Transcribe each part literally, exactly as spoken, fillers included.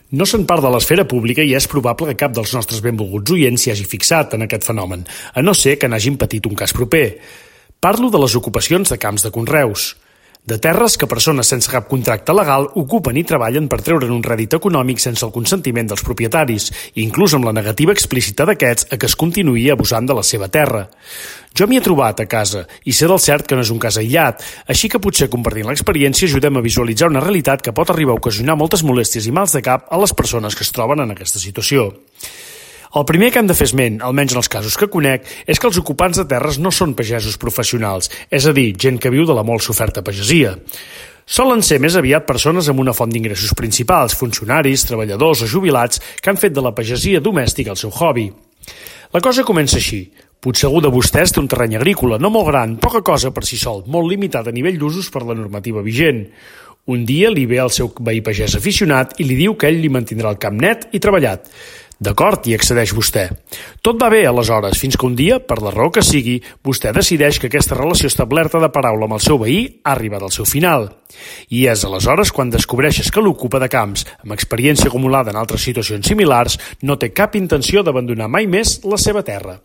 No se'n part de l'esfera pública i és probable que cap dels nostres benvolguts oients s'hi hagi fixat en aquest fenomen, a no ser que n'hagin patit un cas proper. Parlo de les ocupacions de camps de conreus, de terres que persones sense cap contracte legal ocupen i treballen per treure'n un rèdit econòmic sense el consentiment dels propietaris, inclús amb la negativa explícita d'aquests a que es continuï abusant de la seva terra. Jo m'hi he trobat a casa i sé del cert que no és un cas aïllat, així que potser compartint l'experiència ajudem a visualitzar una realitat que pot arribar a ocasionar moltes molèsties i mals de cap a les persones que es troben en aquesta situació. El primer que hem de fer esment, almenys en els casos que conec, és que els ocupants de terres no són pagesos professionals, és a dir, gent que viu de la molt soferta pagesia. Solen ser més aviat persones amb una font d'ingressos principals, funcionaris, treballadors o jubilats que han fet de la pagesia domèstica el seu hobby. La cosa comença així. Potser algú de vostès té un terreny agrícola, no molt gran, poca cosa per si sol, molt limitat a nivell d'usos per la normativa vigent. Un dia li ve el seu veí pagès aficionat i li diu que ell li mantindrà el camp net i treballat. D'acord, hi accedeix vostè. Tot va bé, aleshores, fins que un dia, per la raó que sigui, vostè decideix que aquesta relació establerta de paraula amb el seu veí ha arribat al seu final. I és aleshores quan descobreixes que l'ocupa de camps, amb experiència acumulada en altres situacions similars, no té cap intenció d'abandonar mai més la seva terra.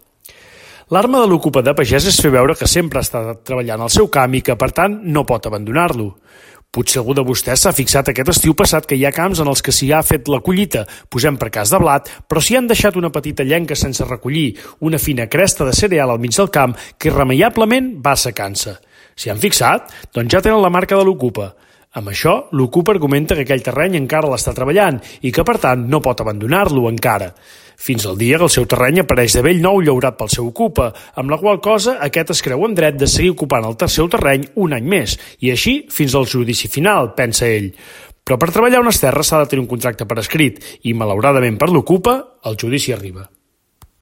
L'arma de l'ocupa de pagès és fer veure que sempre ha estat treballant al seu camp i que, per tant, no pot abandonar-lo. Potser algú de vostès s'ha fixat aquest estiu passat que hi ha camps en els que s'hi ha fet la collita, posem per cas de blat, però s'hi han deixat una petita llenca sense recollir, una fina cresta de cereal al mig del camp que irremeiablement va assecant-se. S'hi han fixat? Doncs ja tenen la marca de l'ocupa. Amb això, l'ocupa argumenta que aquell terreny encara l'està treballant i que, per tant, no pot abandonar-lo encara. Fins al dia que el seu terreny apareix de bell nou llaurat pel seu ocupa, amb la qual cosa aquest es creu en dret de seguir ocupant el seu terreny un any més, i així fins al judici final, pensa ell. Però per treballar unes terres s'ha de tenir un contracte per escrit, i malauradament per l'ocupa, el judici arriba.